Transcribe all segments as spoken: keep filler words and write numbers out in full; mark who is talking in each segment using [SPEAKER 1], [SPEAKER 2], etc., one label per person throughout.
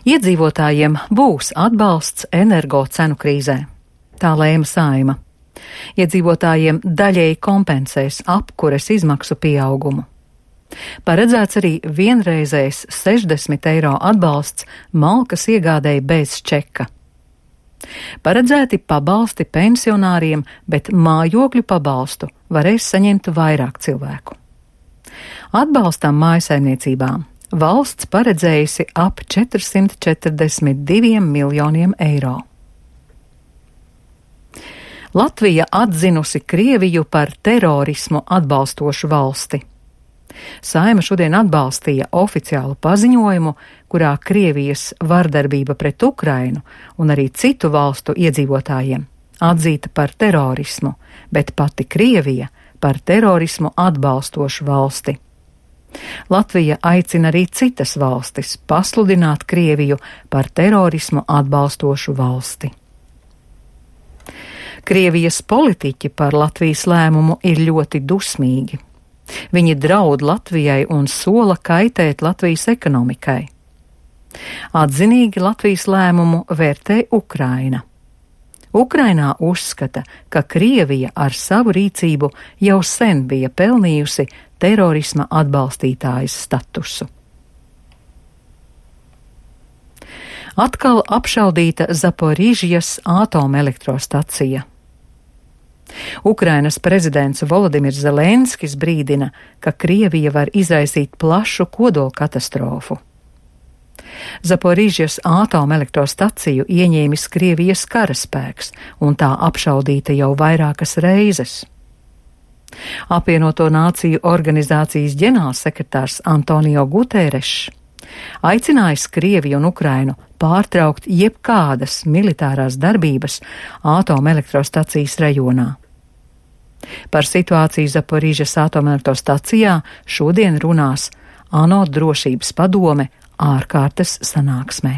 [SPEAKER 1] Iedzīvotājiem būs atbalsts energo cenu krīzē. Tā lēma Saeima. Iedzīvotājiem daļēji kompensēs apkures izmaksu pieaugumu. Paredzēts arī vienreizējs sešdesmit eiro atbalsts malkas iegādēji bez čeka. Paredzēti pabalsti pensionāriem, bet mājokļu pabalstu varēs saņemt vairāk cilvēku. Atbalstam mājasaimniecībām valsts paredzējusi ap četrsimt četrdesmit diviem miljoniem eiro. Latvija atzinusi Krieviju par terorismu atbalstošu valsti. Saeima šodien atbalstīja oficiālu paziņojumu, kurā Krievijas vardarbība pret Ukrainu un arī citu valstu iedzīvotājiem atzīta par terorismu, bet pati Krievija par terorismu atbalstošu valsti. Latvija aicina arī citas valstis pasludināt Krieviju par terorismu atbalstošu valsti. Krievijas politiķi par Latvijas lēmumu ir ļoti dusmīgi. Viņi draud Latvijai un sola kaitēt Latvijas ekonomikai. Atzinīgi Latvijas lēmumu vērtē Ukraina. Ukrainā uzskata, ka Krievija ar savu rīcību jau sen bija pelnījusi terorisma atbalstītājas statusu. Atkal apšaudīta Zaporižjas atomelektrostacija. Ukrainas prezidents Volodimirs Zelenskis brīdina, ka Krievija var izraisīt plašu kodolkatastrofu. Zaporižjas atomelektrostaciju ieņēmis Krievijas karaspēks, un tā apšaudīta jau vairākas reizes. Apvienoto Nāciju organizācijas ģenerālsekretārs Antonio Guterres aicinājis Krieviju un Ukrainu pārtraukt jebkādas militārās darbības atomelektrostacijas rajonā. Par situāciju Zaporižjas atomelektrostacijā šodien runās ANO drošības padome ārkārtas sanāksmē.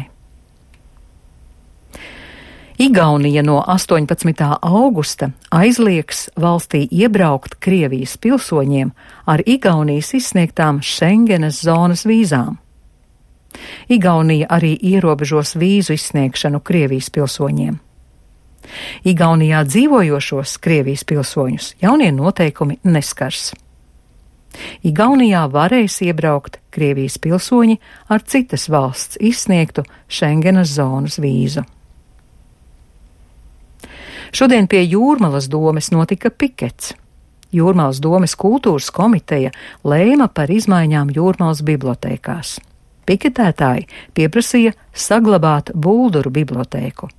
[SPEAKER 1] Igaunija no astoņpadsmitā augusta aizliegs valstī iebraukt Krievijas pilsoņiem ar Igaunijas izsniegtām Šengenas zonas vīzām. Igaunija arī ierobežos vīzu izsniegšanu Krievijas pilsoņiem. Igaunijā dzīvojošos Krievijas pilsoņus jaunie noteikumi neskars. Igaunijā varēs iebraukt Krievijas pilsoņi ar citas valsts izsniegtu Šengenas zonas vīzu. Šodien pie Jūrmalas domes notika pikets. Jūrmalas domes kultūras komiteja lēma par izmaiņām Jūrmalas bibliotēkās. Piketētāji pieprasīja saglabāt Bulduru bibliotēku.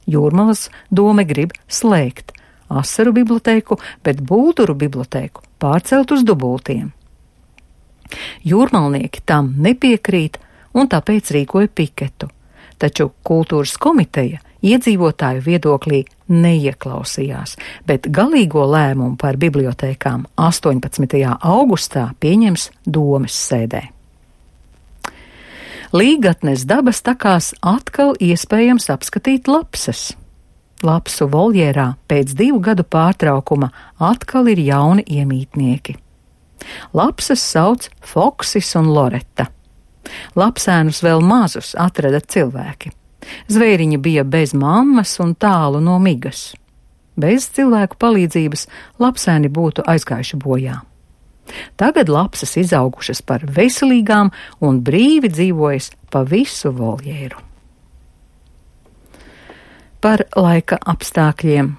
[SPEAKER 1] Jūrmalas dome grib slēgt Asaru bibliotēku, bet Bulduru bibliotēku pārcelt uz Dubultiem. Jūrmalnieki tam nepiekrīt un tāpēc rīkoja piketu, taču kultūras komiteja iedzīvotāju viedoklī neieklausījās, bet galīgo lēmumu par bibliotēkām astoņpadsmitajā augustā pieņems domes sēdē. Līgatnes dabas takās atkal iespējams apskatīt lapsas. Lapsu voljērā pēc divu gadu pārtraukuma atkal ir jauni iemītnieki. Lapsas sauc Foksis un Loreta. Lapsēnus vēl mazus atrada cilvēki. Zvēriņi bija bez mammas un tālu no migas. Bez cilvēku palīdzības lapsēni būtu aizgājuši bojā. Tagad lapsas izaugušas par veselīgām un brīvi dzīvojas pa visu voljēru. Par laika apstākļiem.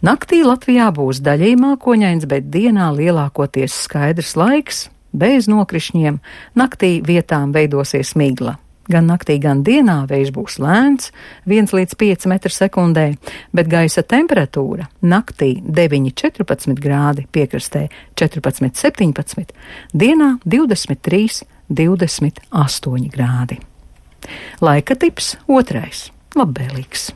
[SPEAKER 1] Naktī Latvijā būs daļēji mākoņains, bet dienā lielākoties skaidrs laiks, bez nokrišņiem, naktī vietām veidosies migla. Gan naktī, gan dienā vējš būs lēns, viens līdz pieci metri sekundē, bet gaisa temperatūra naktī deviņi četrpadsmit grādi, piekrastē četrpadsmit septiņpadsmit, dienā divdesmit trīs divdesmit astoņi grādi. Laika tips otrais - labvēlīgs.